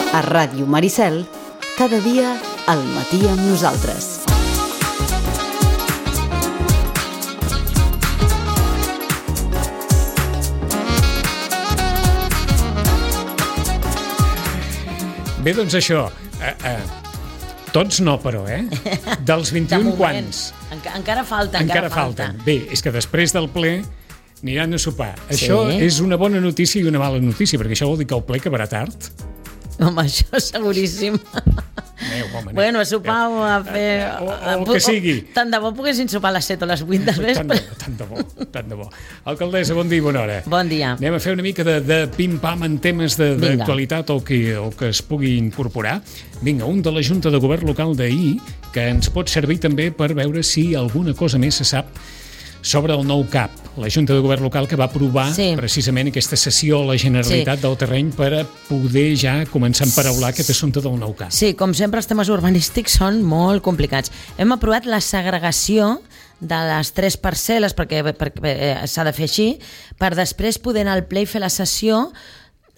A Ràdio Maricel, cada dia al matí amb nosaltres. Bé, doncs això, tots no, però, Dels 21 quants? Encara falten. Bé, és que després del ple aniran a sopar. Això és una bona notícia i una mala notícia, perquè això vol dir que el ple acabarà tard. Home, això seguríssim. Bueno, a sopar o a fer... O el que sigui. Tant de bo poguessin sopar a les 7 o les 8 del vespre. Tant de bo. Alcaldessa, bon dia i bona hora. Bon dia. Anem a fer una mica de pim-pam en temes d'actualitat o que es pugui incorporar. Vinga, un de la Junta de Govern Local d'ahir, que ens pot servir també per veure si alguna cosa més se sap sobre el nou CAP, la Junta de Govern Local que va aprovar precisament aquesta cessió a la Generalitat del terreny per a poder ja començar a emparaular aquest assumpte del nou CAP. Sí, com sempre els temes urbanístics són molt complicats. Hem aprovat la segregació de les 3 parcel·les, perquè s'ha de fer així, per després poder anar al ple i fer la cessió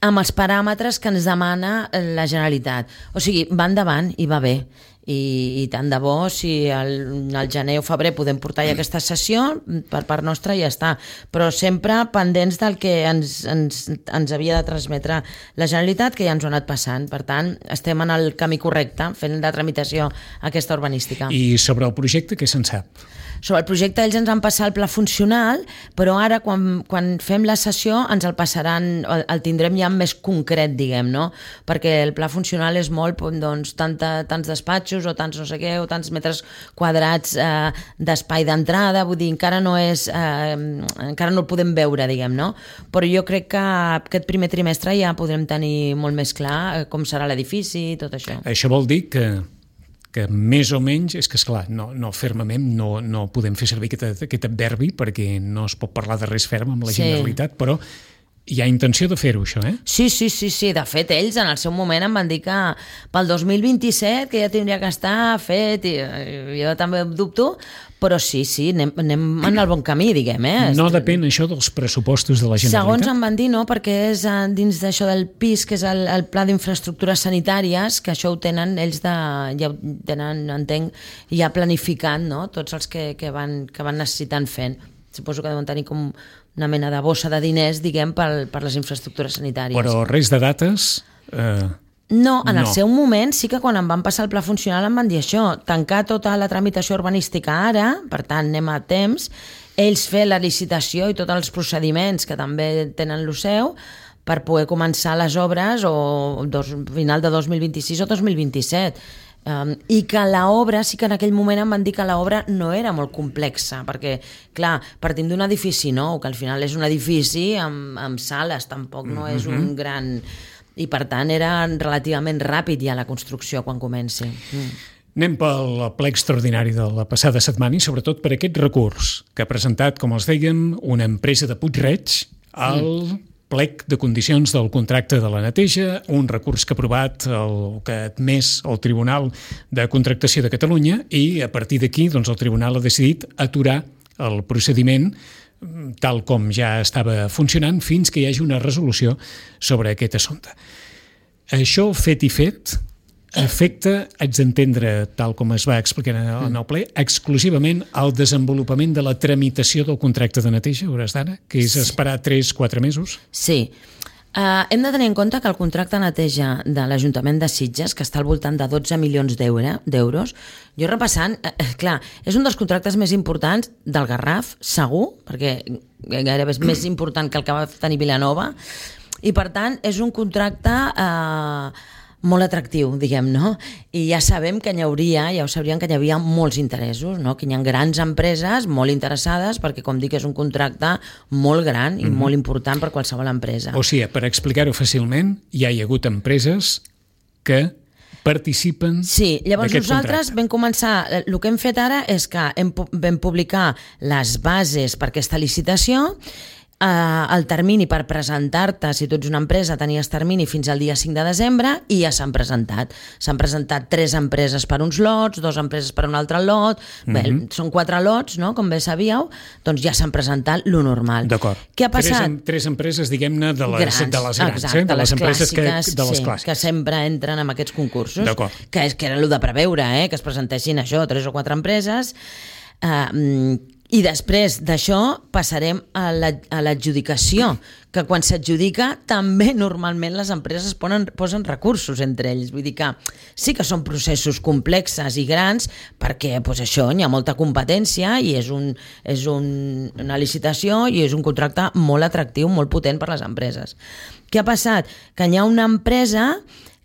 amb els paràmetres que ens demana la Generalitat. O sigui, va endavant i va bé. I tant de bo, si al gener o febrer podem portar ja aquesta sessió, per part nostra ja està. Però sempre pendents del que ens havia de transmetre la Generalitat, que ja ens ho ha anat passant. Per tant, estem en el camí correcte, fent la tramitació aquesta urbanística. I sobre el projecte, què se'n sap? Sobre el projecte ells ens han passat el pla funcional, però ara quan fem la sessió ens el passaran, el tindrem ja més concret, diguem, no? Perquè el pla funcional és molt, doncs, tants despatxos o tants no sé què, o tants metres quadrats d'espai d'entrada, vull dir, encara no el podem veure, diguem, no? Però jo crec que aquest primer trimestre ja podrem tenir molt més clar com serà l'edifici i tot això. Això vol dir que més o menys, és que esclar, no fermament, no podem fer servir aquest adverbi perquè no es pot parlar de res ferm amb la Generalitat, però hi ha intenció de fer-ho, això, Sí. De fet, ells en el seu moment em van dir que pel 2027 que ja tindria que estar fet, i jo també dubto, però sí, anem en el bon camí, diguem, No depèn això dels pressupostos de la Generalitat? Segons em van dir, no, perquè és dins d'això del PIS, que és el Pla d'Infraestructures Sanitàries, que això ho tenen ells ja ho tenen, entenc, ja planificant, no?, tots els que van necessitant fent. Suposo que deuen tenir com una mena de bossa de diners, diguem, per les infraestructures sanitàries. Però res de dates? No, en el seu moment sí que quan em van passar el pla funcional em van dir això, tancar tota la tramitació urbanística ara, per tant anem a temps, ells fer la licitació i tots els procediments que també tenen el seu per poder començar les obres o final de 2026 o 2027. I que l'obra, sí que en aquell moment em van dir que l'obra no era molt complexa, perquè, clar, partim d'un edifici nou, que al final és un edifici amb sales, tampoc no és un gran... I per tant era relativament ràpid ja la construcció quan comenci. Anem pel ple extraordinari de la passada setmana i sobretot per aquest recurs que ha presentat, com els dèiem, una empresa de Puig-reig al plec de condicions del contracte de la neteja, un recurs que ha aprovat que ha admès el Tribunal de Contractació de Catalunya i a partir d'aquí doncs, el Tribunal ha decidit aturar el procediment tal com ja estava funcionant fins que hi hagi una resolució sobre aquest assumpte. Això, fet i fet, afecta, haig d'entendre, tal com es va explicar en el ple, exclusivament al desenvolupament de la tramitació del contracte de neteja, a hores d'ara, que és esperar 3-4 mesos? Sí. Hem de tenir en compte que el contracte de neteja de l'Ajuntament de Sitges, que està al voltant de 12 milions d'euros, jo repassant, clar, és un dels contractes més importants del Garraf, segur, perquè gairebé és més important que el que va tenir Vilanova, i per tant és un contracte molt atractiu, diguem, no? I ja sabem que ja ho sabrien que hi havia molts interessos, no? Que hi ha grans empreses molt interessades perquè, com dic, és un contracte molt gran i molt important per qualsevol empresa. O sigui, per explicar-ho fàcilment, ja hi ha hagut empreses que participen Sí, llavors nosaltres contracte. vam començar, el que hem fet ara és que vam publicar les bases per aquesta licitació. el termini per presentar-te, si tu ets una empresa, tenies termini fins al dia 5 de desembre i ja s'han presentat. S'han presentat 3 empreses per uns lots, 2 empreses per un altre lot, bé, són 4 lots, no? Com bé sabíeu, doncs ja s'han presentat lo normal. D'acord. Què ha passat? 3 empreses, diguem-ne, de les grans, exacte, de les empreses clàssiques, de les clàssiques. Que sempre entren en aquests concursos, que era el de preveure, que es presentessin això, 3 o 4 empreses, i després d'això passarem a l'adjudicació, que quan s'adjudica també normalment les empreses posen recursos entre ells. Vull dir que sí que són processos complexes i grans perquè això hi ha molta competència i és una licitació i és un contracte molt atractiu, molt potent per les empreses. Què ha passat? Que hi ha una empresa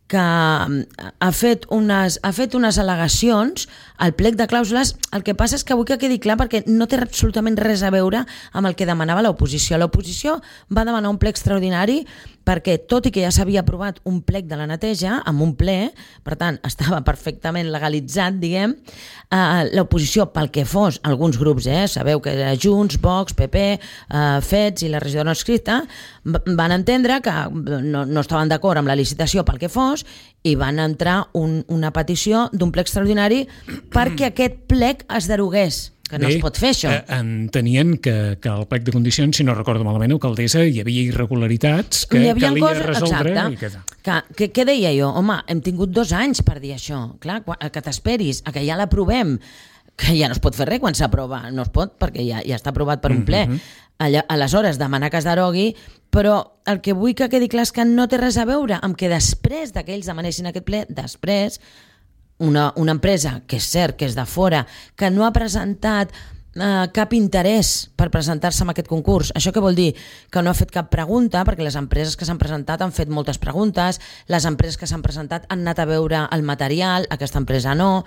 que ha fet unes al·legacions al plec de clàusules. El que passa és que vull que quedi clar perquè no té absolutament res a veure amb el que demanava l'oposició. L'oposició va demanar un plec extraordinari perquè, tot i que ja s'havia aprovat un plec de la neteja amb un ple, per tant, estava perfectament legalitzat, diguem, l'oposició, pel que fos, alguns grups, sabeu que era Junts, Vox, PP, FETS i la regidora no escrita, van entendre que no estaven d'acord amb la licitació pel que fos i van entrar una petició d'un plec extraordinari perquè aquest plec es derogués. Que no es pot fer, això. Entenien que al plec de condicions, si no recordo malament, alcaldessa, hi havia irregularitats que calia resoldre. Exacte. Què deia jo? Home, hem tingut 2 anys per dir això. Clar, que t'esperis, que ja l'aprovem, que ja no es pot fer res quan s'aprova. No es pot, perquè ja està aprovat per un ple. Aleshores, demanar que es derogui, però el que vull que quedi clar és que no té res a veure amb que després que ells demanessin aquest ple, després una empresa, que és cert que és de fora, que no ha presentat cap interès per presentar-se en aquest concurs. Això què vol dir? Que no ha fet cap pregunta, perquè les empreses que s'han presentat han fet moltes preguntes, les empreses que s'han presentat han anat a veure el material, aquesta empresa no,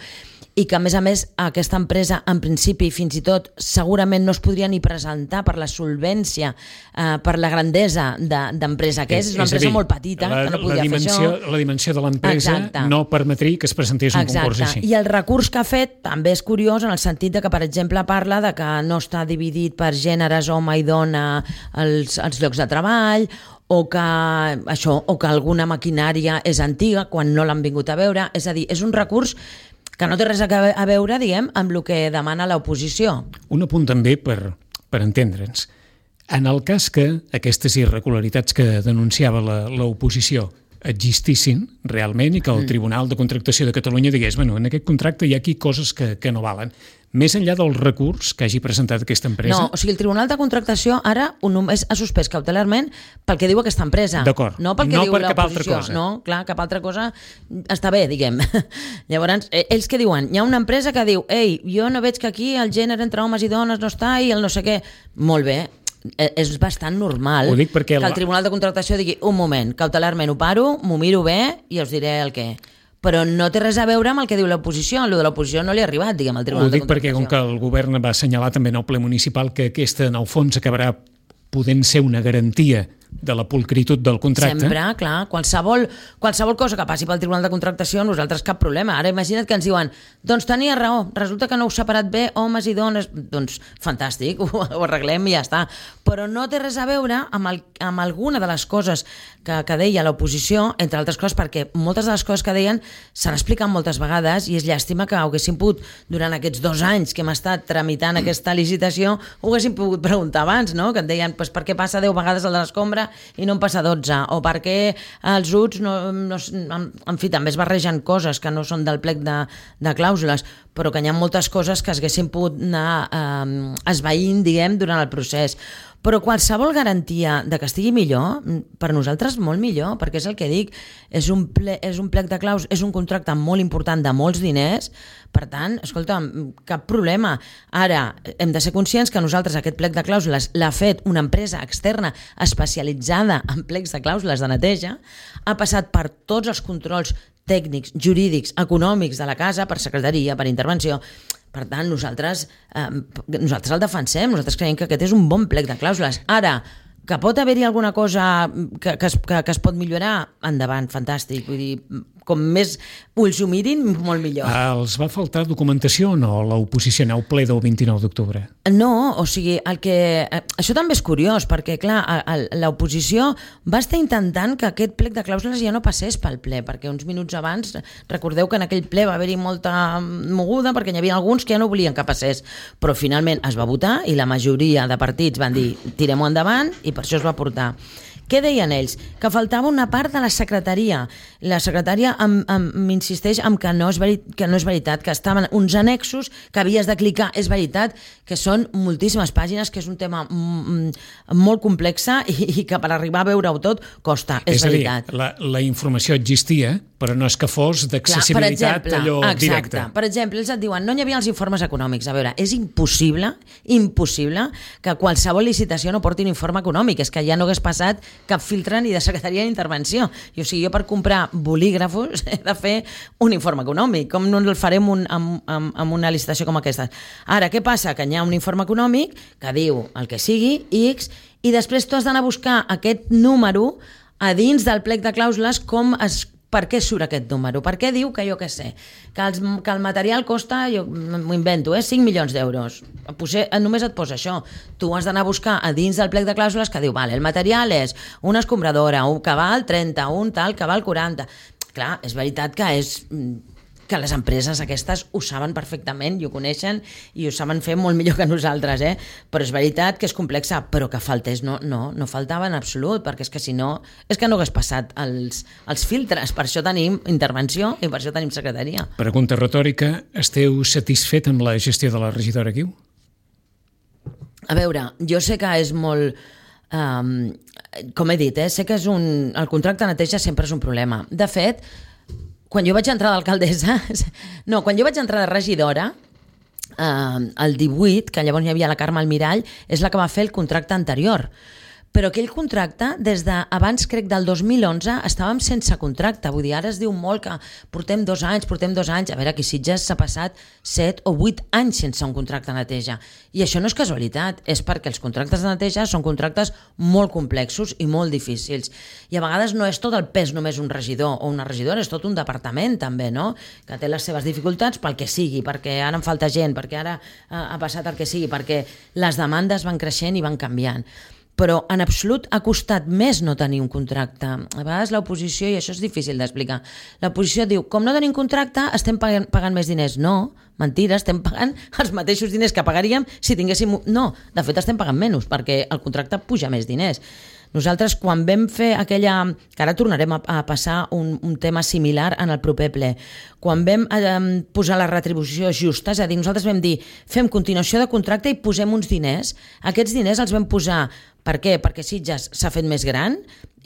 i que a més aquesta empresa en principi fins i tot segurament no es podria ni presentar per la solvència, per la grandesa d'empresa que és una empresa molt petita que no podia fer això. La dimensió de l'empresa no permetria que es presentés un concurs així. I el recurs que ha fet també és curiós en el sentit de que, per exemple, parla de que no està dividit per gèneres, home i dona, els llocs de treball, o que alguna maquinària és antiga quan no l'han vingut a veure. És a dir, és un recurs que no té res a veure, diguem, amb el que demana l'oposició. Un apunt també per entendre'ns. En el cas que aquestes irregularitats que denunciava l'oposició existissin realment i que el Tribunal de Contractació de Catalunya digués en aquest contracte hi ha aquí coses que no valen, més enllà del recurs que hagi presentat aquesta empresa? No, o sigui, el Tribunal de Contractació ara només ha suspès cautelarment pel que diu aquesta empresa. D'acord, no pel que diu l'oposició. No, clar, cap altra cosa està bé, diguem. Llavors, ells què diuen? Hi ha una empresa que diu, jo no veig que aquí el gènere entre homes i dones no està i el no sé què. Molt bé, és bastant normal que el Tribunal de Contractació digui un moment, cautelarment ho paro, m'ho miro bé i us diré el què. Però no té res a veure amb el que diu l'oposició. El de l'oposició no li ha arribat, diguem, al Tribunal de Contractació. Ho dic perquè com que el govern va assenyalar també en el ple municipal que aquesta, en el fons, acabarà podent ser una garantia de la pulcritud del contracte. Sempre, clar, qualsevol cosa que passi pel Tribunal de Contractació, nosaltres cap problema. Ara imagina't que ens diuen, doncs tenia raó, resulta que no heu separat bé homes i dones, doncs fantàstic, ho arreglem i ja està. Però no té res a veure amb alguna de les coses que deia l'oposició, entre altres coses perquè moltes de les coses que deien s'han explicat moltes vegades i és llàstima que haguéssim pogut, durant aquests 2 anys que hem estat tramitant aquesta licitació, ho haguéssim pogut preguntar abans, no? Que et deien, per què passa 10 vegades el de l'escombra i no en passa 12, o per què els UTS en fi, també es barregen coses que no són del plec de clàusules, però que hi ha moltes coses que s'haguessin pogut anar esvaint, diguem, durant el procés. Però qualsevol garantia de que estigui millor, per nosaltres molt millor, perquè és el que dic, és un plec de clàusules, és un contracte molt important de molts diners, per tant, escolta, cap problema. Ara, hem de ser conscients que nosaltres aquest plec de clàusules l'ha fet una empresa externa especialitzada en plecs de clàusules de neteja, ha passat per tots els controls tècnics, jurídics, econòmics de la casa, per secretaria, per intervenció. Per tant, nosaltres el defensem, nosaltres creiem que aquest és un bon plec de clàusules. Ara, que pot haver-hi alguna cosa que es pot millorar, endavant, fantàstic. Vull dir, com més ulls ho mirin, molt millor. Els va faltar documentació o no a l'oposició ple del 29 d'octubre? No, o sigui, això també és curiós, perquè, clar, l'oposició va estar intentant que aquest plec de clàusules ja no passés pel ple, perquè uns minuts abans, recordeu que en aquell ple va haver-hi molta moguda, perquè hi havia alguns que ja no volien que passés, però finalment es va votar i la majoria de partits van dir tirem-ho endavant i per això es va portar. Què deien ells? Que faltava una part de la secretaria. La secretària m'insisteix en que no és veritat, que estaven uns annexos que havies de clicar. És veritat que són moltíssimes pàgines, que és un tema molt complexa i que per arribar a veure-ho tot costa. És veritat. La informació existia, però no és que fos d'accessibilitat allò directe. Per exemple, ells et diuen no hi havia els informes econòmics. A veure, és impossible que qualsevol licitació no porti un informe econòmic. És que ja no hagués passat cap filtre ni de secretaria d'intervenció. I, o sigui, jo per comprar bolígrafos he de fer un informe econòmic. Com no el farem amb una licitació com aquesta? Ara, què passa? Que hi ha un informe econòmic que diu el que sigui, X, i després tu has d'anar a buscar aquest número a dins del plec de clàusules per què surt aquest número? Per què diu que jo què sé? Que el material costa, jo m'ho invento, 5 milions d'euros. Només et posa això. Tu has d'anar a buscar a dins del plec de clàusules que diu, vale, el material és una escombradora, un que val 30, un tal que val 40. Clar, és veritat que les empreses aquestes ho saben perfectament i ho coneixen i ho saben fer molt millor que nosaltres, però és veritat que és complexa, però que faltés no faltava en absolut, perquè és que si no és que no hagués passat els filtres. Per això tenim intervenció i per això tenim secretaria. Pregunta retòrica, esteu satisfet amb la gestió de la regidora Guiu? A veure, jo sé que és molt... com he dit, sé que el contracte de neteja sempre és un problema. De fet, quan jo vaig entrar d'alcaldessa, quan jo vaig entrar de regidora, el 18, que llavors hi havia la Carme Almirall, és la que va fer el contracte anterior. Però aquell contracte, des d'abans, crec, del 2011, estàvem sense contracte. Vull dir, ara es diu molt que portem 2 anys. A veure, aquí Sitges s'ha passat 7 o 8 anys sense un contracte de neteja. I això no és casualitat, és perquè els contractes de neteja són contractes molt complexos i molt difícils. I a vegades no és tot el pes només un regidor o una regidora, és tot un departament també, no? Que té les seves dificultats pel que sigui, perquè ara em falta gent, perquè ara ha passat el que sigui, perquè les demandes van creixent i van canviant. Però en absolut ha costat més no tenir un contracte. A vegades l'oposició, i això és difícil d'explicar, l'oposició diu, com no tenim contracte, estem pagant més diners. No, mentira, estem pagant els mateixos diners que pagaríem si tinguéssim... No, de fet estem pagant menys, perquè el contracte puja més diners. Nosaltres, quan vam fer aquella... que ara tornarem a passar un tema similar en el proper ple, quan vam posar la retribució justa, és a dir, nosaltres vam dir fem continuació de contracte i posem uns diners. Aquests diners els vam posar... Per què? Perquè Sitges s'ha fet més gran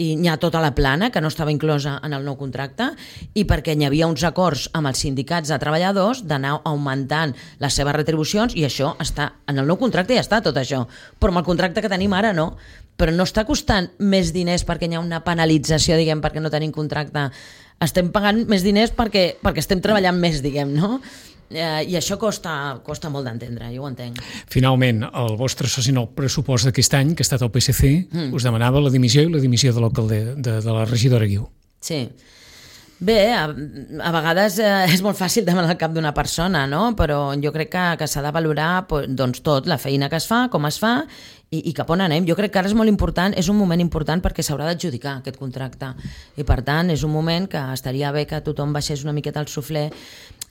i hi ha tota la plana que no estava inclosa en el nou contracte i perquè hi havia uns acords amb els sindicats de treballadors d'anar augmentant les seves retribucions i això està en el nou contracte, ja està tot això. Però amb el contracte que tenim ara no. Però no està costant més diners perquè hi ha una penalització, diguem, perquè no tenim contracte. Estem pagant més diners perquè estem treballant més, diguem, no? I això costa molt d'entendre, jo ho entenc. Finalment, el vostre soci en el pressupost d'aquest any, que ha estat el PSC, us demanava la dimissió i la dimissió de l'alcalde de la regidora Guiu. Sí. Bé, a vegades és molt fàcil demanar el cap d'una persona, no? Però jo crec que s'ha de valorar doncs, tot, la feina que es fa, com es fa i cap on anem. Jo crec que ara és molt important, és un moment important perquè s'haurà d'adjudicar aquest contracte i per tant és un moment que estaria bé que tothom baixés una miqueta el suflé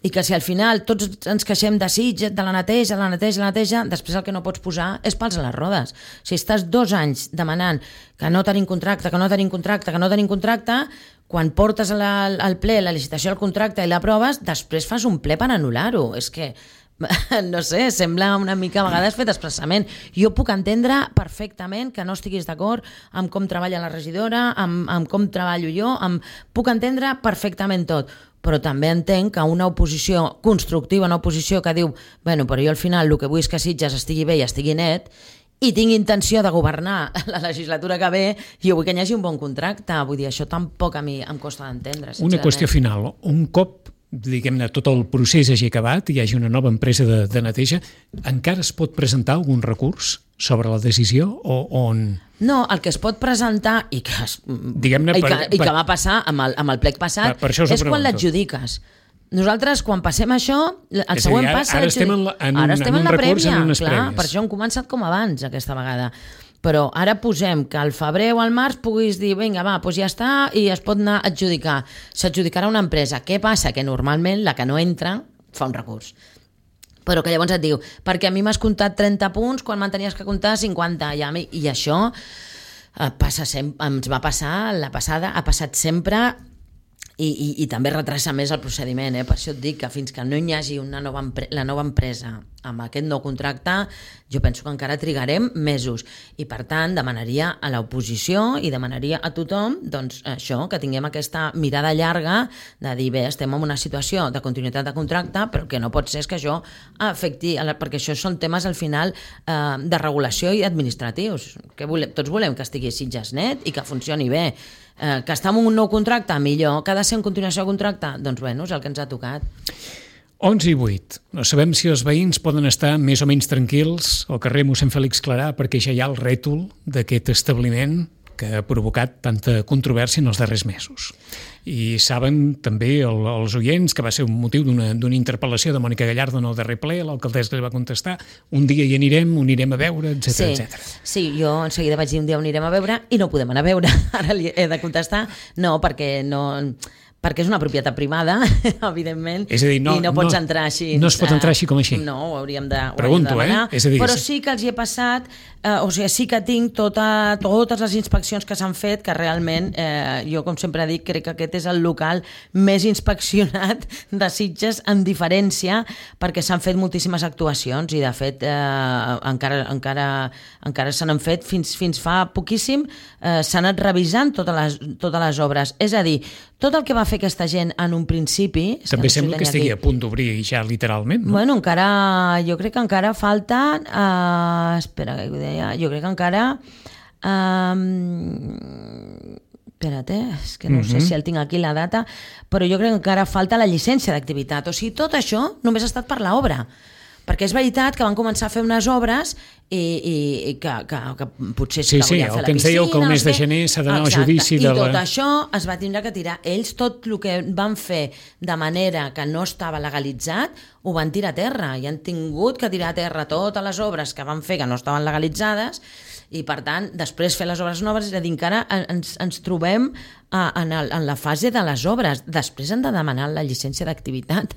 i que si al final tots ens queixem de Sitges, de la neteja, després el que no pots posar és pals a les rodes. Si estàs 2 anys demanant que no tenim contracte, quan portes al ple la licitació del contracte i l'aproves, després fas un ple per anul·lar-ho. És que, no sé, sembla una mica a vegades fet expressament. Jo puc entendre perfectament que no estiguis d'acord amb com treballa la regidora, amb com treballo jo, puc entendre perfectament tot. Però també entenc que una oposició constructiva, una oposició que diu bueno, però jo al final el que vull és que Sitges estigui bé i estigui net i tinc intenció de governar la legislatura que ve i jo vull que hi hagi un bon contracte. Vull dir, això tampoc a mi em costa d'entendre. Una qüestió final. Un cop diguem-ne, tot el procés hagi acabat i hi hagi una nova empresa de neteja, encara es pot presentar algun recurs sobre la decisió o on... No, el que es pot presentar i que, que va passar amb el plec passat és quan l'adjudiques. Nosaltres, quan passem això, el següent pas... Ara estem en la prèvia, clar, per això hem començat com abans aquesta vegada. Però ara posem que al febrer o al març puguis dir, vinga, va, doncs ja està, i es pot anar a adjudicar. S'adjudicarà una empresa. Què passa? Que normalment la que no entra fa un recurs. Però que llavors et diu, perquè a mi m'has comptat 30 punts quan me'n tenies que comptar 50. I això ens va passar la passada, ha passat sempre... I també retrasa més el procediment, per això et dic que fins que no hi hagi la nova empresa amb aquest nou contracte, jo penso que encara trigarem mesos, i per tant demanaria a l'oposició i demanaria a tothom doncs, això, que tinguem aquesta mirada llarga de dir, bé, estem en una situació de continuïtat de contracte, però el que no pot ser és que això afecti, perquè això són temes al final de regulació i administratius, que tots volem que estigui Sitges net i que funcioni bé. Que està en un nou contracte, millor. Que ha de ser en continuació de contracte? Doncs bueno, és el que ens ha tocat. 11 i 8. No sabem si els veïns poden estar més o menys tranquils al carrer mossèn Fèlix Clarà perquè ja hi ha el rètol d'aquest establiment que ha provocat tanta controvèrsia en els darrers mesos. I saben també els oients que va ser un motiu d'una interpel·lació de Mònica Gallardo en el darrer ple, l'alcaldessa li va contestar, un dia hi anirem, ho anirem a veure, etc. Sí, jo en seguida vaig dir un dia ho anirem a veure i no ho podem anar a veure. Ara li he de contestar, no, perquè és una propietat privada, evidentment, és a dir, i no pots entrar així. No es pot entrar així com així. No, ho hauríem de demanar. És a dir, però sí que els hi he passat, sí que tinc totes les inspeccions que s'han fet, que realment, jo com sempre dic, crec que aquest és el local més inspeccionat de Sitges en diferència, perquè s'han fet moltíssimes actuacions i de fet encara se n'han fet fins fa poquíssim, s'han anat revisant totes les obres. És a dir, tot el que va fer aquesta gent en un principi... També sembla que estigui a punt d'obrir ja literalment, no? Bueno, jo crec que encara falten... espera, que ho deia... Jo crec que encara... espera't, és que no sé si el tinc aquí la data, però jo crec que encara falta la llicència d'activitat. O sigui, tot això només ha estat per l'obra. Perquè és veritat que van començar a fer unes obres i que potser sí, que volien fer la piscina. Sí, el que ens dèieu que el mes de gener s'ha d'anar al judici de la... I tot això es va tindre que tirar. Ells tot el que van fer de manera que no estava legalitzat ho van tirar a terra i han tingut que tirar a terra totes les obres que van fer que no estaven legalitzades i per tant després fer les obres noves, és a dir, encara ens trobem en la fase de les obres. Després han de demanar la llicència d'activitat.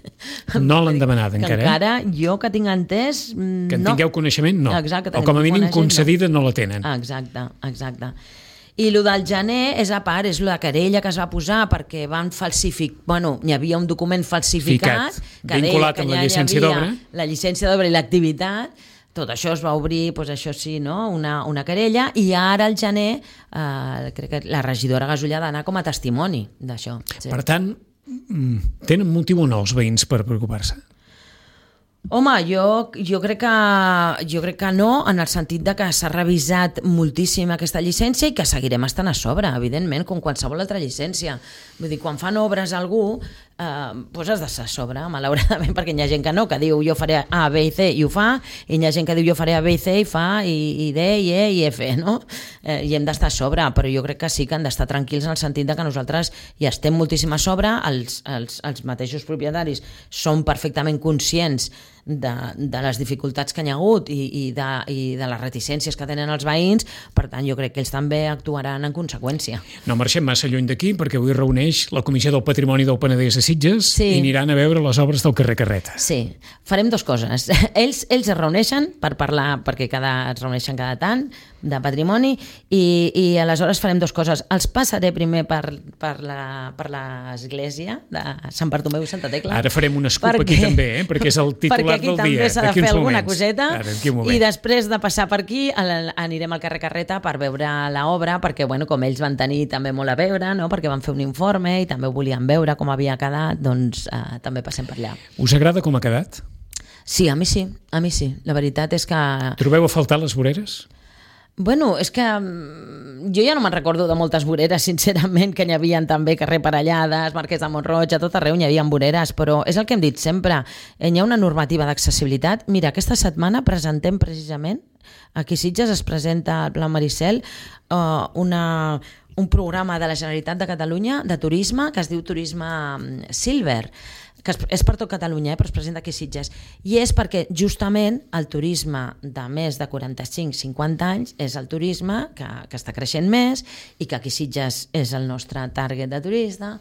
No l'han demanat encara, encara jo que tinc entès... Que en tingueu coneixement, no. Exacte, o com a mínim concedida no la tenen. Exacte. I el del gener és a part, és la querella que es va posar perquè van falsificar... Bueno, hi havia un document falsificat que vinculat amb la llicència d'obra. La llicència d'obra i l'activitat. Tot això es va obrir, doncs això sí, no? una querella, i ara al gener crec que la regidora Gasull ha d'anar com a testimoni d'això. Sí. Per tant, tenen motiu o no els veïns per preocupar-se? Home, jo crec que no, en el sentit de que s'ha revisat moltíssim aquesta llicència i que seguirem estant a sobre, evidentment, com qualsevol altra llicència. Vull dir, quan fan obres a algú, doncs has d'estar a sobre, malauradament, perquè hi ha gent que no, que diu jo faré A, B i C i ho fa, i hi ha gent que diu jo faré A, B i C i fa, i D, i E i F, no? I hem d'estar a sobre, però jo crec que sí que han d'estar tranquils en el sentit de que nosaltres hi estem moltíssim a sobre, els mateixos propietaris són perfectament conscients de les dificultats que hi ha hagut i de les reticències que tenen els veïns, per tant jo crec que ells també actuaran en conseqüència. No marxem massa lluny d'aquí perquè avui reuneix la Comissió del Patrimoni del Penedès a Sitges i aniran a veure les obres del carrer Carreta. Sí, farem dues coses. Ells es reuneixen per parlar, perquè es reuneixen cada tant, de patrimoni, i aleshores farem dues coses. Els passaré primer per l'església de Sant Bartomeu i Santa Tecla. Ara farem un scoop aquí també, perquè és el titular del dia. Perquè aquí també s'ha de fer alguna coseta. I després de passar per aquí anirem al carrer Carreta per veure l'obra, perquè com ells van tenir també molt a veure, no? Perquè van fer un informe i també ho volien veure com havia quedat, doncs també passem per allà. Us agrada com ha quedat? Sí, a mi sí. La veritat és que... Trobeu a faltar les voreres? Bueno, és que jo ja no me'n recordo de moltes voreres, sincerament, que n'hi havia també carrer Parellades, Marquès de Mont-roig, a tot arreu n'hi havia voreres, però és el que hem dit sempre, hi ha una normativa d'accessibilitat. Mira, aquesta setmana presentem precisament, aquí a Sitges es presenta al Pla Maricel un programa de la Generalitat de Catalunya de turisme que es diu Turisme Silver, que és per tot Catalunya, però es presenta aquí a Sitges. I és perquè justament el turisme de més de 45-50 anys és el turisme que està creixent més i que aquí a Sitges és el nostre target de turista.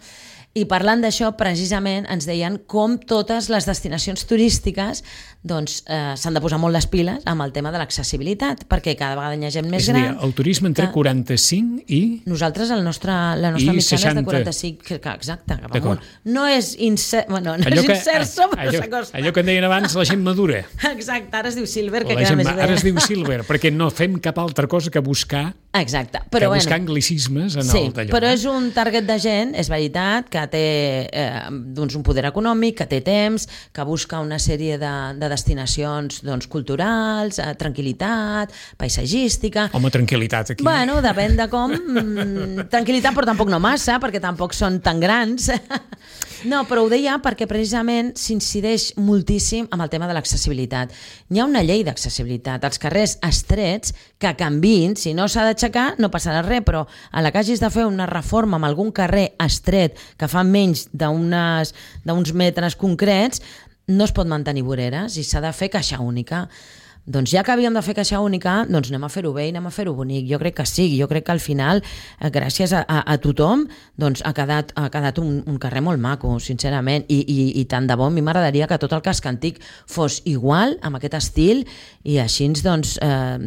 I parlant d'això, precisament, ens deien com totes les destinacions turístiques s'han de posar molt les piles amb el tema de l'accessibilitat, perquè cada vegada hi ha gent més gran. És a dir, el turisme entre 45 i... Nosaltres, la nostra mitjana és de 45, exacte, cap amunt. No és incert, no és inserso, però s'acosta. Allò que en deien abans, la gent madura. Exacte, ara es diu Silver, que queda més bé. Ara es diu Silver, perquè no fem cap altra cosa que buscar... Exacte. Buscar anglicismes en el d'allò. Sí, però és un target de gent, és veritat, que té un poder econòmic, que té temps, que busca una sèrie de destinacions culturals, tranquil·litat, paisatgística... Home, tranquil·litat aquí. Bueno, depèn de com. Tranquil·litat, però tampoc no massa, perquè tampoc són tan grans. No, però ho deia perquè precisament s'incideix moltíssim amb el tema de l'accessibilitat. Hi ha una llei d'accessibilitat. Els carrers estrets que canviïn, si no s'ha d'aixecar no passarà res, però a la que hagis de fer una reforma amb algun carrer estret que fa menys d'uns metres concrets, no es pot mantenir voreres i s'ha de fer caixa única. Doncs ja que havíem de fer caixa única, doncs anem a fer-ho bé i anem a fer-ho bonic. Jo crec que sí, jo crec que al final, gràcies a tothom, doncs ha quedat un carrer molt maco, sincerament, i tant de bo, a mi m'agradaria que tot el casc antic fos igual, amb aquest estil, i així doncs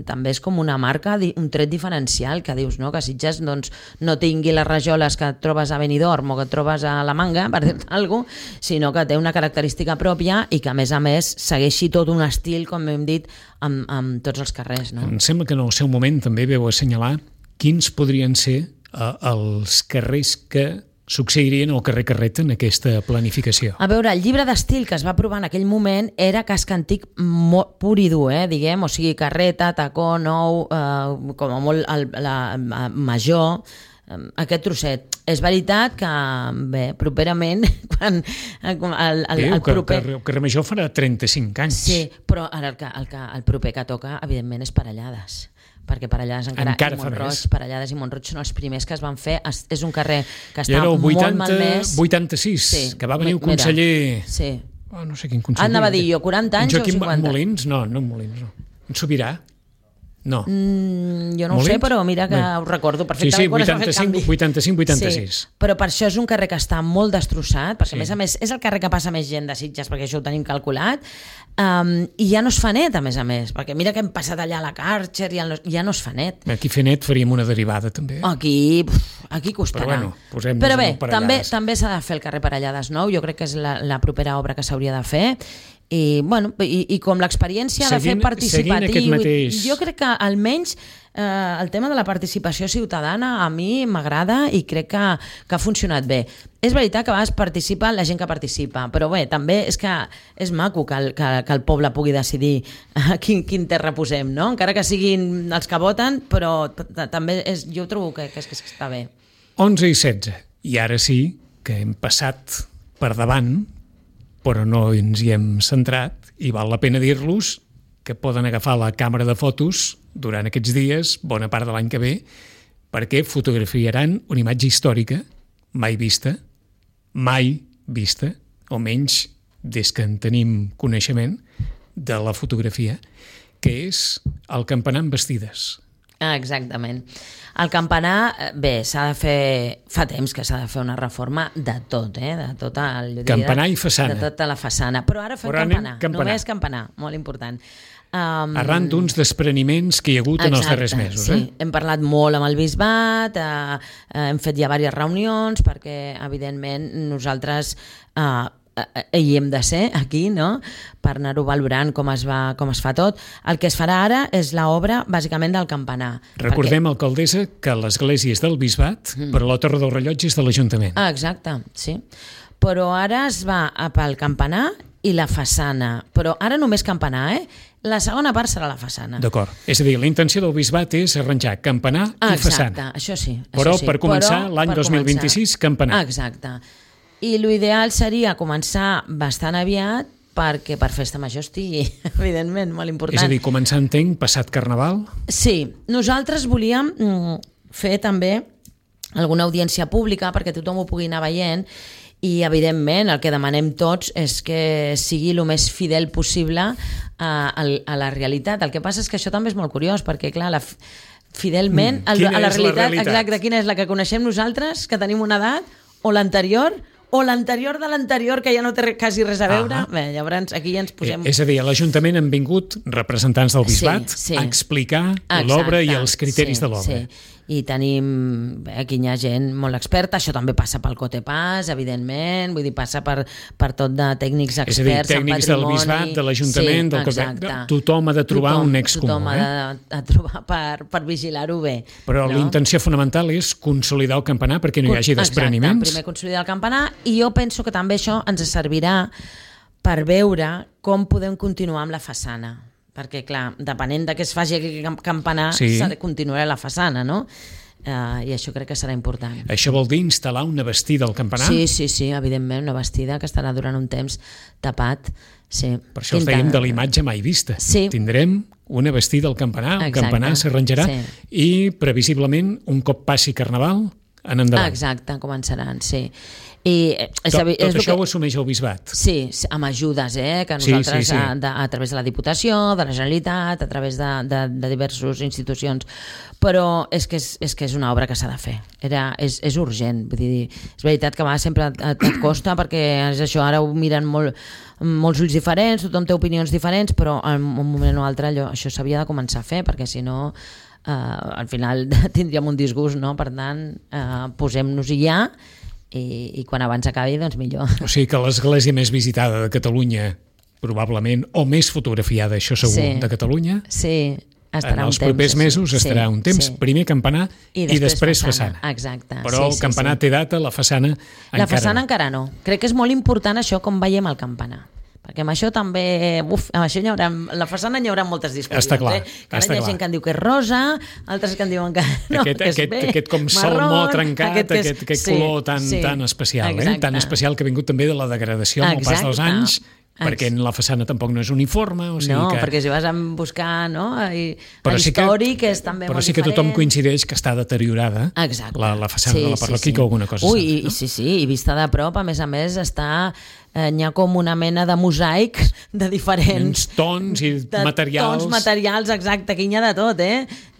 també és com una marca, un tret diferencial, que dius, no?, que Sitges doncs, no tingui les rajoles que et trobes a Benidorm o que et trobes a la Manga, per dir-te alguna cosa, sinó que té una característica pròpia i que a més segueixi tot un estil, com hem dit, amb tots els carrers, no? Em sembla que en el seu moment també veu assenyalar quins podrien ser els carrers que succeirien al carrer Carreta en aquesta planificació. A veure, el llibre d'estil que es va aprovar en aquell moment era casc antic pur i dur, diguem, o sigui, Carreta, Tacó, Nou, com a molt Major, aquest trosset. És veritat que, bé, properament, quan el proper... El carrer Major farà 35 anys. Sí, però ara el proper que toca, evidentment, és Parellades, perquè Parellades encara i Mont-roig, Parellades i Mont-roig són els primers que es van fer. És un carrer que està molt malmès. 86, sí, que va venir un conseller... Sí. No sé quin conseller. Anava a dir jo, 40 anys o 50. En Molins? No, en Molins, no. En Sobirà? No. Jo no ho sé, però mira que ho recordo perfectament. Sí, 85-86. Sí, però per això és un carrer que està molt destrossat, perquè a més és el carrer que passa més gent de Sitges, perquè això ho tenim calculat, i ja no es fa net, a més, perquè mira que hem passat allà a la Karcher i ja no es fa net. Aquí fer net faríem una derivada, també. Aquí costarà. Però bé, també s'ha de fer el carrer Parellades Nou, jo crec que és la propera obra que s'hauria de fer, i com l'experiència de fer participatiu, jo crec que almenys el tema de la participació ciutadana a mi m'agrada i crec que ha funcionat bé. És veritat que a vegades participa la gent que participa, però bé, també és que és maco que el poble pugui decidir quin terra posem, no? Encara que siguin els que voten, però també jo trobo que està bé. 11 i 16, i ara sí que hem passat per davant, però no ens hi hem centrat, i val la pena dir-los que poden agafar la càmera de fotos durant aquests dies, bona part de l'any que ve, perquè fotografiaran una imatge històrica mai vista, o menys des que en tenim coneixement de la fotografia, que és el campanar amb bastides. Exactament. El campanar, bé, s'ha de fer... Fa temps que s'ha de fer una reforma de tot, de tot el... Campanar i façana. De tota la façana. Però ara fem campanar, només campanar, molt important. Arran d'uns despreniments que hi ha hagut en els darrers mesos. Sí. Hem parlat molt amb el bisbat, hem fet ja diverses reunions, perquè, evidentment, nosaltres... hi hem de ser aquí, no?, per anar-ho valorant com es fa tot. El que es farà ara és l'obra bàsicament del campanar. Recordem, alcaldessa, que l'església és del bisbat, però la torre del rellotge és de l'Ajuntament. Exacte, sí. Però ara es va pel campanar i la façana, però ara només campanar, La segona part serà la façana. D'acord. És a dir, la intenció del bisbat és arranjar campanar i façana. Exacte, això sí. Però per començar l'any 2026, campanar. Exacte. I l'ideal seria començar bastant aviat perquè per festa major estigui, evidentment, molt important. És a dir, començar, entenc, passat Carnaval? Sí, nosaltres volíem fer també alguna audiència pública perquè tothom ho pugui anar veient i, evidentment, el que demanem tots és que sigui el més fidel possible a la realitat. El que passa és que això també és molt curiós perquè, clar, fidelment a la realitat, exacte, quina és la que coneixem nosaltres, que tenim una edat, o l'anterior de l'anterior, que ja no té quasi res a veure. Bé, llavors aquí ja ens posem... És a dir, a l'Ajuntament han vingut representants del bisbat a explicar l'obra i els criteris de l'obra. Sí. I tenim, aquí hi ha gent molt experta, això també passa pel Cotepàs, evidentment, vull dir, passa per tot de tècnics experts en patrimoni. És a dir, tècnics del bisbat, de l'Ajuntament, del Cotepàs, tothom ha de trobar un nex comú. Tothom ha de trobar per vigilar-ho bé. Però la intenció fonamental és consolidar el campanar perquè no hi hagi despreniments. Exacte, primer consolidar el campanar, i jo penso que també això ens servirà per veure com podem continuar amb la façana. Perquè, clar, depenent de què es faci aquest campanar, continuarà la façana, no? I això crec que serà important. Això vol dir instal·lar una bastida al campanar? Sí, evidentment, una bastida que estarà durant un temps tapat. Sí. Per això us dèiem de la imatge mai vista. Sí. Tindrem una bastida al campanar, el campanar s'arranjarà i, previsiblement, un cop passi Carnaval, en endavant. Exacte, començaran, sí. Tot això ho assumeix el bisbat? Sí, amb ajudes, que nosaltres a través de la Diputació, de la Generalitat, a través de diverses institucions, però és que és una obra que s'ha de fer, és urgent, vull dir, és veritat que sempre et costa perquè és això, ara ho miren molts ulls diferents, tothom té opinions diferents, però en un moment o altre això s'havia de començar a fer, perquè si no al final tindríem un disgust, no? Per tant, posem-nos-hi ja i quan abans acabi, doncs millor. O sigui que l'església més visitada de Catalunya, probablement, o més fotografiada, això segur, de Catalunya, estarà en els propers mesos estarà un temps, primer campanar i després façana. Exacte. Però el campanar té data, la façana encara no. La façana encara no. Crec que és molt important això com veiem el campanar. Perquè amb això també, amb això la façana hi haurà moltes discussions. Està clar. Que ara hi ha gent que en diu que és rosa, altres que en diuen que no, que és bé, aquest com salmó trencat, aquest color tan especial, tan especial que ha vingut també de la degradació amb el pas dels anys, perquè en la façana tampoc no és uniforme. Perquè si vas a buscar històric és també molt diferent. Però sí que tothom coincideix que està deteriorada la façana de la parròquia, que alguna cosa i vista de prop, a més n'hi ha com una mena de mosaic de diferents tons i materials. Tons materials, exacte, que hi ha de tot,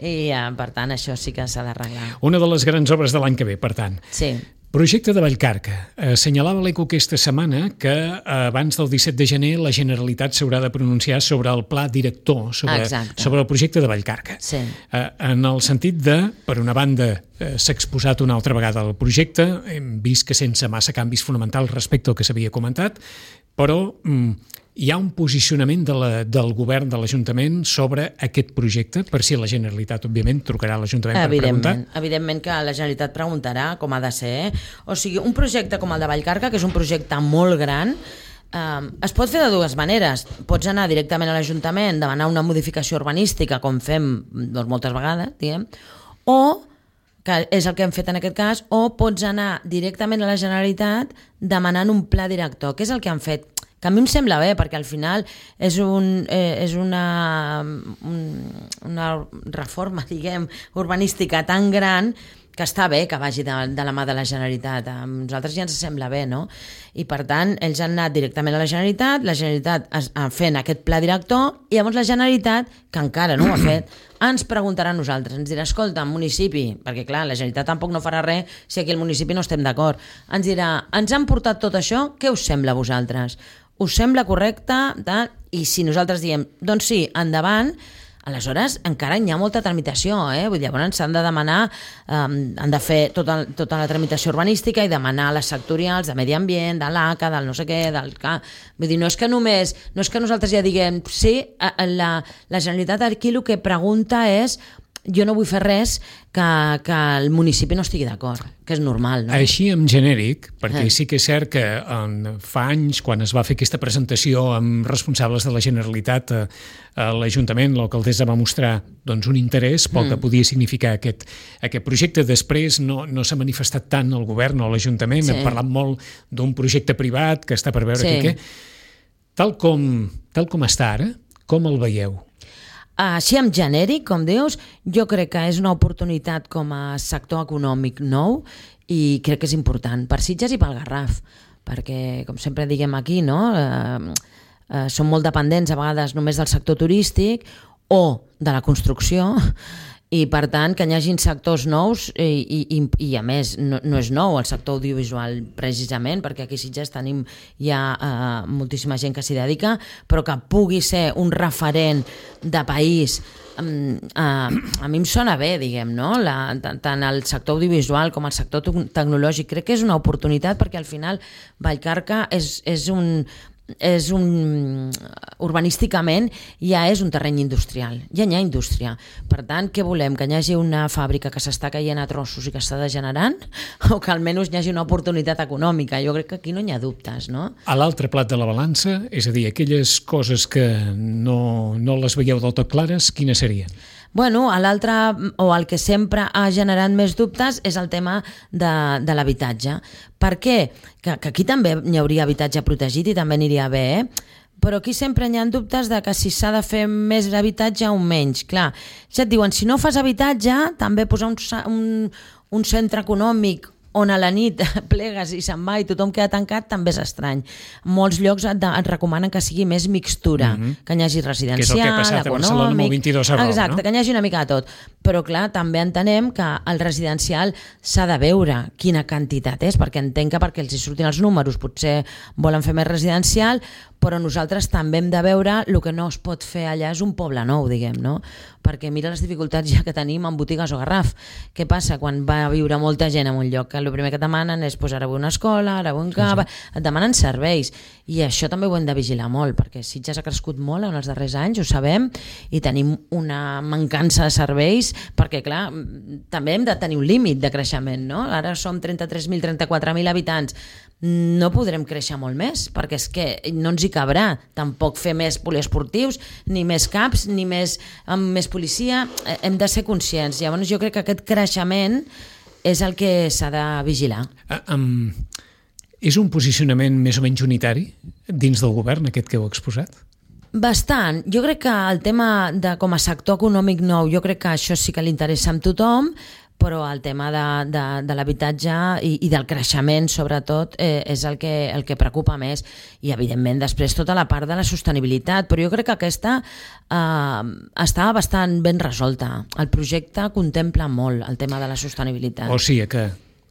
I per tant això sí que s'ha d'arreglar. Una de les grans obres de l'any que ve, per tant. Sí. Projecte de Vallcarca. Assenyalava l'ECO aquesta setmana que abans del 17 de gener la Generalitat s'haurà de pronunciar sobre el pla director, sobre el projecte de Vallcarca. Sí. En el sentit de, per una banda, s'ha exposat una altra vegada el projecte, hem vist que sense massa canvis fonamentals respecte al que s'havia comentat, però hi ha un posicionament del govern de l'Ajuntament sobre aquest projecte, per si la Generalitat, òbviament, trucarà a l'Ajuntament per preguntar? Evidentment que la Generalitat preguntarà com ha de ser. O sigui, un projecte com el de Vallcarca, que és un projecte molt gran, es pot fer de dues maneres. Pots anar directament a l'Ajuntament, demanar una modificació urbanística, com fem moltes vegades, diguem, o que és el que hem fet en aquest cas, o pots anar directament a la Generalitat demanant un pla director, que és el que han fet, que a mi em sembla bé, perquè al final és una reforma, diguem, urbanística tan gran que està bé que vagi de la mà de la Generalitat. A nosaltres ja ens sembla bé, no? I per tant, ells han anat directament a la Generalitat fent aquest pla director, i llavors la Generalitat, que encara no ho ha fet, ens preguntarà a nosaltres, ens dirà, escolta, municipi, perquè clar, la Generalitat tampoc no farà res si aquí al municipi no estem d'acord, ens dirà, ens han portat tot això, què us sembla a vosaltres? Us sembla correcte? I si nosaltres diem, doncs sí, endavant, aleshores encara hi ha molta tramitació, Vull dir, llavors s'han de demanar, han de fer tota la tramitació urbanística i demanar les sectorials de medi ambient, de l'ACA, del no sé què, vull dir, no és que nosaltres ja diguem, sí, la Generalitat aquí el que pregunta és jo no vull fer res que el municipi no estigui d'acord, que és normal, no? Així en genèric, perquè sí que és cert que fa anys, quan es va fer aquesta presentació amb responsables de la Generalitat a l'Ajuntament, l'alcaldessa va mostrar doncs, un interès pel que podia significar aquest projecte. Després no s'ha manifestat tant el govern o l'Ajuntament, hem parlat molt d'un projecte privat que està per veure què. Tal com està ara, com el veieu? Així en genèric, com dius, jo crec que és una oportunitat com a sector econòmic nou i crec que és important per Sitges i pel Garraf, perquè, com sempre diguem aquí, no? Som molt dependents a vegades només del sector turístic o de la construcció, i per tant que hi hagin sectors nous i a més no és nou el sector audiovisual precisament, perquè aquí a Sitges tenim ja moltíssima gent que s'hi dedica, però que pugui ser un referent de país a mi em sona bé, diguem, no? Tant el sector audiovisual com el sector tecnològic. Crec que és una oportunitat perquè al final Vallcarca urbanísticament ja és un terreny industrial, ja hi ha indústria. Per tant, què volem? Que hi hagi una fàbrica que s'està caient a trossos i que està degenerant? O que almenys hi hagi una oportunitat econòmica? Jo crec que aquí no hi ha dubtes, no? A l'altre plat de la balança, és a dir, aquelles coses que no les veieu del tot clares, quines serien? Bueno, l'altre, o el que sempre ha generat més dubtes, és el tema de l'habitatge. Per què? Que aquí també hi hauria habitatge protegit i també aniria bé, però aquí sempre hi ha dubtes de que si s'ha de fer més habitatge o menys. Clar, ja et diuen, si no fas habitatge, també posar un centre econòmic on a la nit plegues i se'n va i tothom queda tancat, també és estrany. Molts llocs et recomanen que sigui més mixtura, que hi hagi residencial, que és el que ha passat a Barcelona amb el 22 Arrau, exacte, no? Que hi hagi una mica de tot. Però clar, també entenem que el residencial s'ha de veure quina quantitat és, perquè entenc que perquè els hi surtin els números potser volen fer més residencial, però nosaltres també hem de veure el que no es pot fer allà és un poble nou, diguem, no? Perquè mira les dificultats ja que tenim en botigues o Garraf. Què passa quan va viure molta gent en un lloc? Que el primer que et demanen és ara vull una escola, ara vull un cava, et demanen serveis. I això també ho hem de vigilar molt, perquè Sitges ha crescut molt en els darrers anys, ho sabem, i tenim una mancança de serveis, perquè clar, també hem de tenir un límit de creixement, no? Ara som 33.000, 34.000 habitants, no podrem créixer molt més, perquè és que no ens hi cabrà tampoc fer més poliesportius, ni més CAPs, ni més policia. Hem de ser conscients. Llavors jo crec que aquest creixement és el que s'ha de vigilar. És un posicionament més o menys unitari dins del govern, aquest que heu exposat? Bastant. Jo crec que el tema de com a sector econòmic nou, jo crec que això sí que li interessa a tothom, però el tema de l'habitatge i del creixement, sobretot, és el que preocupa més. I, evidentment, després tota la part de la sostenibilitat. Però jo crec que aquesta està bastant ben resolta. El projecte contempla molt el tema de la sostenibilitat. O sigui que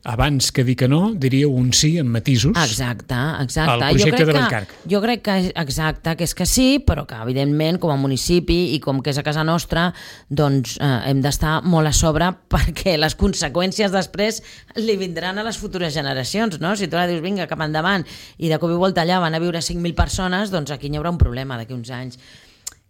abans que dir que no, diríeu un sí amb matisos. Exacte. Al projecte de Vallcarca. Jo crec que, exacte, que és que sí, però que, evidentment, com a municipi i com que és a casa nostra, doncs hem d'estar molt a sobre perquè les conseqüències després li vindran a les futures generacions, no? Si tu ara dius, vinga, cap endavant, i de cop i volta allà van a viure 5.000 persones, doncs aquí hi haurà un problema d'aquí uns anys.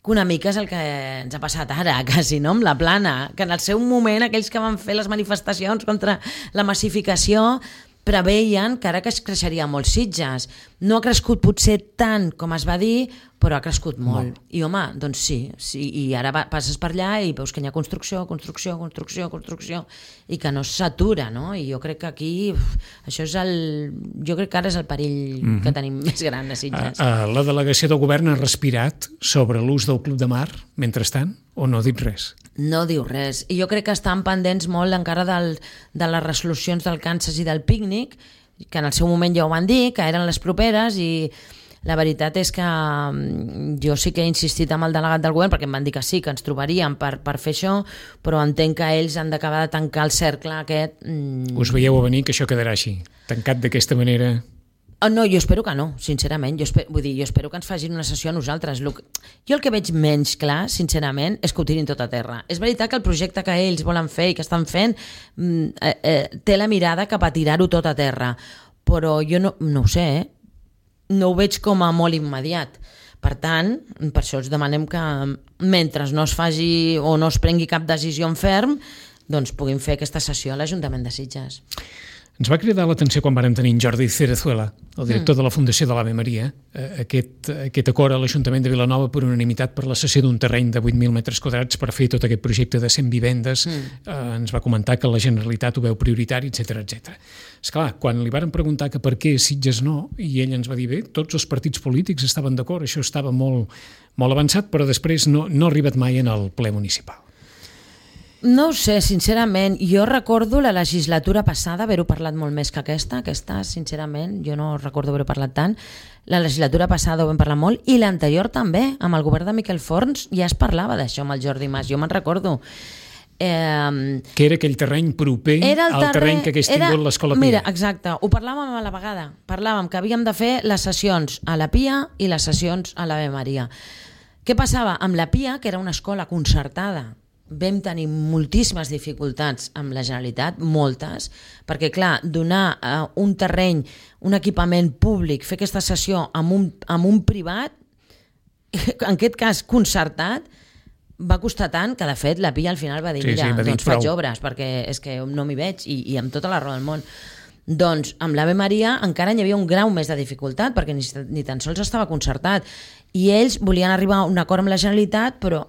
Que una mica és el que ens ha passat ara, quasi, no? Amb la Plana, que en el seu moment aquells que van fer les manifestacions contra la massificació preveien que ara que es creixeria molt Sitges. No ha crescut potser tant com es va dir, però ha crescut molt. I home, doncs sí, i ara passes per allà i veus que hi ha construcció, i que no s'atura, no? I jo crec que aquí, això és jo crec que ara és el perill que tenim més gran a Sitges. La delegació del govern ha respirat sobre l'ús del Club de Mar, mentrestant, o no ha dit res? No diu res. I jo crec que estan pendents molt encara de les resolucions del Kansas i del pícnic, que en el seu moment ja ho van dir, que eren les properes, i la veritat és que jo sí que he insistit amb el delegat del govern, perquè em van dir que sí, que ens trobaríem per fer això, però entenc que ells han d'acabar de tancar el cercle aquest. Us veieu a venir que això quedarà així, tancat d'aquesta manera? No, jo espero que no, sincerament. Jo espero que ens facin una sessió a nosaltres. Jo el que veig menys clar, sincerament, és que ho tirin tot a terra. És veritat que el projecte que ells volen fer i que estan fent té la mirada cap a tirar-ho tot a terra, però jo no ho sé, no ho veig com a molt immediat, Per tant, per això us demanem que mentre no es faci o no es prengui cap decisió en ferm, doncs puguin fer aquesta sessió a l'Ajuntament de Sitges. Ens va cridar l'atenció quan vàrem tenir en Jordi Cerezuela, el director de la Fundació de l'Ave Maria, aquest acord a l'Ajuntament de Vilanova per unanimitat per la cessió d'un terreny de 8.000 metres quadrats per fer tot aquest projecte de 100 vivendes. Ens va comentar que la Generalitat ho veu prioritari, etc. Esclar, quan li varen preguntar que per què Sitges no, i ell ens va dir, bé, tots els partits polítics estaven d'acord, això estava molt, molt avançat, però després no ha arribat mai en el ple municipal. No ho sé, sincerament. Jo recordo la legislatura passada haver-ho parlat molt més que aquesta, sincerament, jo no recordo haver-ho parlat tant. La legislatura passada ho vam parlar molt, i l'anterior també, amb el govern de Miquel Forns, ja es parlava d'això amb el Jordi Mas, jo me'n recordo. Que era aquell terreny proper al terreny que hagués tingut l'Escola Pia. Mira, exacte, ho parlàvem a la vegada. Parlàvem que havíem de fer les sessions a la Pia i les sessions a l'Ave Maria. Què passava? Amb la Pia, que era una escola concertada, vam tenir moltíssimes dificultats amb la Generalitat, moltes, perquè clar, donar un terreny, un equipament públic, fer aquesta sessió amb un privat, en aquest cas concertat, va costar tant que de fet la Pia al final va dir, doncs faig obres perquè és que no m'hi veig, i amb tota la raó del món. Doncs amb l'Ave Maria encara hi havia un grau més de dificultat perquè ni tan sols estava concertat, i ells volien arribar a un acord amb la Generalitat, però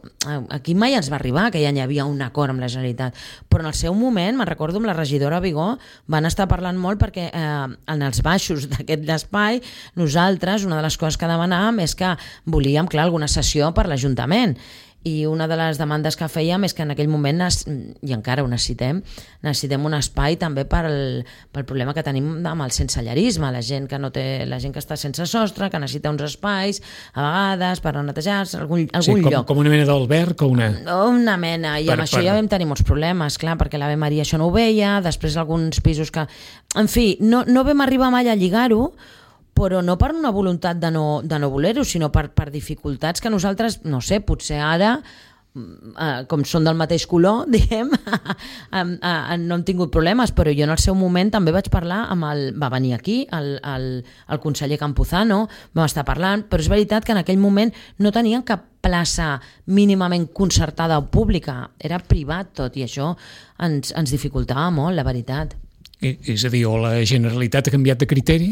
aquí mai ens va arribar que ja hi havia un acord amb la Generalitat. Però en el seu moment, me'n recordo amb la regidora Vigó, van estar parlant molt perquè en els baixos d'aquest espai nosaltres, una de les coses que demanàvem és que volíem, clar, alguna sessió per l'Ajuntament. I una de les demandes que fèiem és que en aquell moment, i encara ho necessitem un espai també pel problema que tenim amb el sensellarisme, la gent que està sense sostre, que necessita uns espais a vegades per netejar-se, algun lloc. Com una mena d'alberg o una... Una mena, i amb això ja vam tenir molts problemes, clar, perquè l'Ave Maria això no ho veia, després alguns pisos que... En fi, no vam arribar mai a lligar-ho, però no per una voluntat de no voler-ho, sinó per dificultats que nosaltres, no sé, potser ara, com són del mateix color, diguem, no hem tingut problemes, però jo en el seu moment també vaig parlar va venir aquí el conseller Campuzano, vam estar parlant, però és veritat que en aquell moment no tenien cap plaça mínimament concertada o pública, era privat tot, i això ens dificultava molt, la veritat. És a dir, o la Generalitat ha canviat de criteri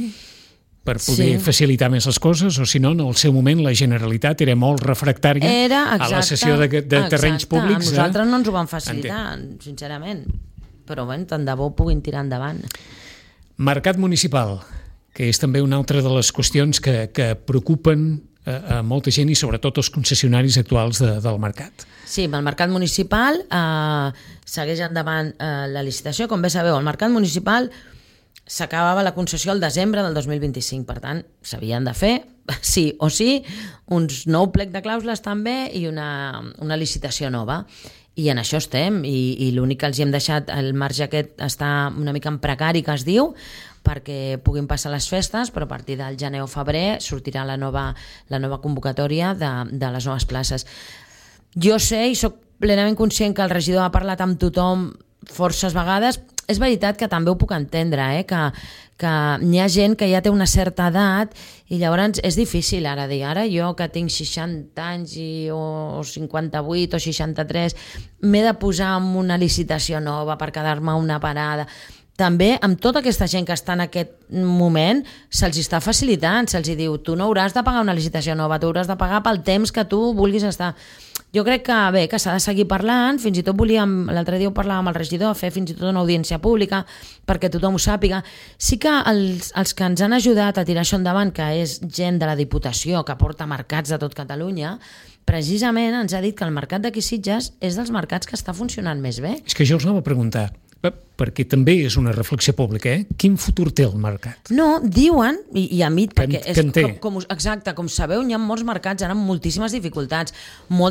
per poder facilitar més les coses, o si no, en el seu moment la Generalitat era molt refractària a la cessió de terrenys públics. A nosaltres no ens ho van facilitar, sincerament, però bé, tant de bo puguin tirar endavant. Mercat municipal, que és també una altra de les qüestions que preocupen a molta gent i sobretot els concessionaris actuals del mercat. Sí, amb el mercat municipal segueix endavant la licitació. Com bé sabeu, el mercat municipal s'acabava la concessió al desembre del 2025, per tant, s'havien de fer, sí o sí, uns nou plec de clàusules també i una licitació nova. I en això estem, i l'únic que els hi hem deixat, el marge aquest està una mica en precari, que es diu, perquè puguin passar les festes, però a partir del gener o febrer sortirà la nova convocatòria de les noves places. Jo sé i sóc plenament conscient que el regidor ha parlat amb tothom forces vegades. És veritat que també ho puc entendre, que hi ha gent que ja té una certa edat i llavors és difícil ara dir, ara jo que tinc 60 anys o 58 o 63 m'he de posar en una licitació nova per quedar-me una parada. També amb tota aquesta gent que està en aquest moment se'ls està facilitant, se'ls diu tu no hauràs de pagar una licitació nova, tu hauràs de pagar pel temps que tu vulguis estar. Jo crec que bé, que s'ha de seguir parlant, fins i tot l'altre dia ho parlàvem amb el regidor, fer fins i tot una audiència pública perquè tothom ho sàpiga. Sí que els que ens han ajudat a tirar això endavant, que és gent de la Diputació que porta mercats de tot Catalunya, precisament ens ha dit que el mercat d'aquí Sitges és dels mercats que està funcionant més bé. És que jo us anava a preguntar, perquè també és una reflexió pública, quin futur té el mercat? No, diuen, i a mi, perquè exacte, com sabeu, hi ha molts mercats ara amb moltíssimes dificultats.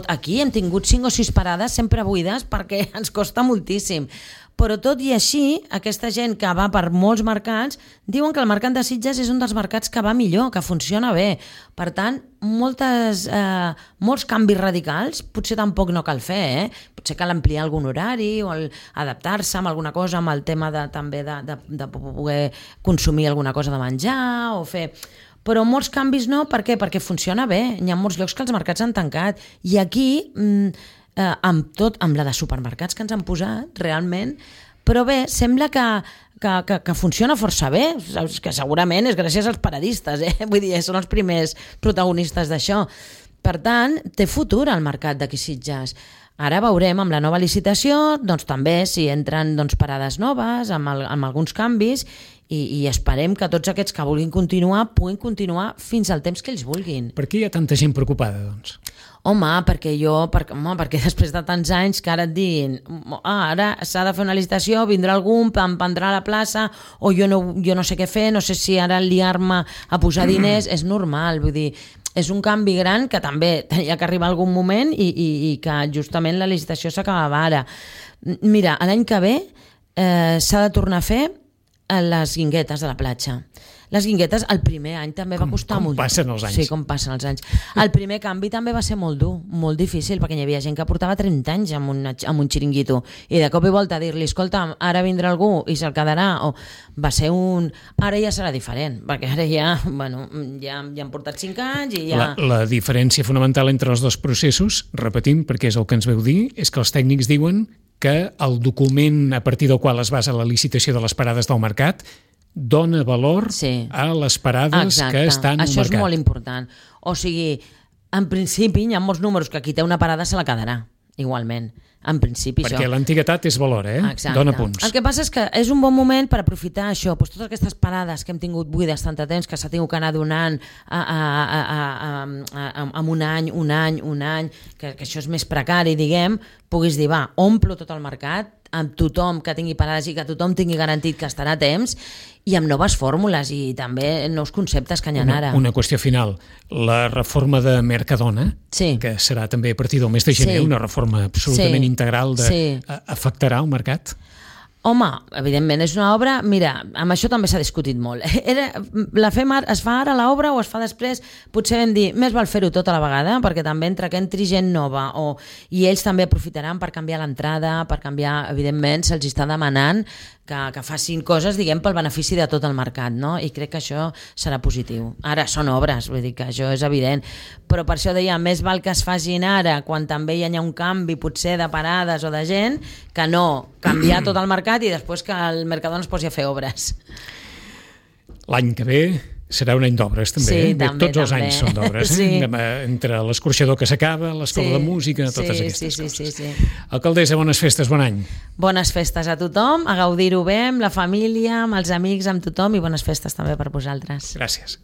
Aquí hem tingut 5 o 6 parades sempre buides perquè ens costa moltíssim. Però tot i així, aquesta gent que va per molts mercats diuen que el mercat de Sitges és un dels mercats que va millor, que funciona bé. Per tant, molts canvis radicals potser tampoc no cal fer, Potser cal ampliar algun horari o adaptar-se amb alguna cosa, amb el tema també de poder consumir alguna cosa de menjar o fer... però molts canvis no. Per què? Perquè funciona bé. Hi ha molts llocs que els mercats han tancat. I aquí, amb la de supermercats que ens han posat, realment, però bé, sembla que funciona força bé, que segurament és gràcies als paradistes, vull dir, són els primers protagonistes d'això. Per tant, té futur el mercat d'aquí Sitges. Ara veurem amb la nova licitació, doncs també si entren parades noves, amb alguns canvis, i esperem que tots aquests que vulguin continuar puguin continuar fins al temps que ells vulguin. Per què hi ha tanta gent preocupada, doncs? Home, perquè després de tants anys que ara et diguin ara s'ha de fer una licitació, vindrà algú, em prendrà la plaça, o jo no sé què fer, no sé si ara liar-me a posar diners, és normal, vull dir, és un canvi gran que també tenia que arribar algun moment i que justament la licitació s'acabava ara. Mira, l'any que ve s'ha de tornar a fer les guinguetes de la platja. Les guinguetes el primer any també va costar molt. Com passen els anys. Sí, com passen els anys. El primer canvi també va ser molt dur, molt difícil, perquè hi havia gent que portava 30 anys amb un xiringuito, i de cop i volta dir-li, escolta, ara vindrà algú i se'l quedarà, o va ser Ara ja serà diferent, perquè ara ja han portat 5 anys i ja... La diferència fonamental entre els dos processos, repetim, perquè és el que ens veu dir, és que els tècnics diuen que el document a partir del qual es basa la licitació de les parades del mercat dona valor a les parades que estan al mercat. Això és molt important. O sigui, en principi hi ha molts números que qui té una parada se la quedarà, igualment. En principi, perquè l'antiguitat és valor, Exacte. Dona punts. El que passa és que és un bon moment per aprofitar això, doncs totes aquestes parades que hem tingut buides tant de temps, que s'ha tingut que anar donant amb un any, que això és més precari, diguem, puguis dir, va, omplo tot el mercat, amb tothom que tingui parades i que tothom tingui garantit que estarà a temps, i amb noves fórmules i també nous conceptes que hi ha ara. Una qüestió final. La reforma de Mercadona, que serà també a partir del mes de gener, una reforma absolutament integral, afectarà el mercat? Home, evidentment, és una obra... Mira, amb això també s'ha discutit molt. Es fa ara l'obra o es fa després? Potser vam dir, més val fer-ho tot a la vegada, perquè també entre que entri gent nova i ells també aprofitaran per canviar l'entrada, per canviar, evidentment, se'ls està demanant que facin coses, diguem, pel benefici de tot el mercat, no? I crec que això serà positiu. Ara són obres, vull dir que això és evident, però per això deia, més val que es facin ara, quan també hi ha un canvi potser de parades o de gent, que no canviar tot el mercat i després que el Mercadona es posi a fer obres. L'any que ve serà un any d'obres, també. Sí, també. Tots els anys són d'obres. Entre l'escorxador que s'acaba, l'escola de música, totes aquestes coses. Sí. Alcaldessa, bones festes, bon any. Bones festes a tothom, a gaudir-ho bé, amb la família, amb els amics, amb tothom, i bones festes també per vosaltres. Gràcies.